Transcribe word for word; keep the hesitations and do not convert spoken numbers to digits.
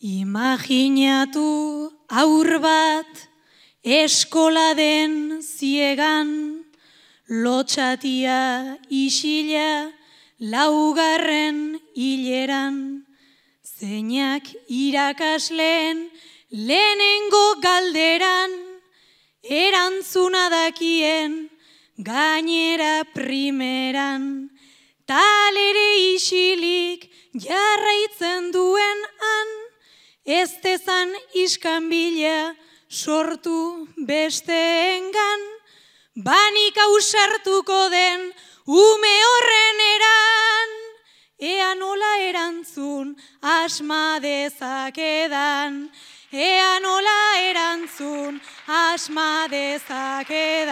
Imaginatu aur bat eskola den ziegan, lotxatia isila laugarren hileran, zeinak irakasleen lehenengo galderan, erantzuna dakien gainera primeran, talere isilik jarraitzen duen han, ez dezan iskanbila sortu besteengan, banik ausartuko den ume horren eran, ea nola erantzun asma dezakedan, ea nola erantzun asma dezakedan.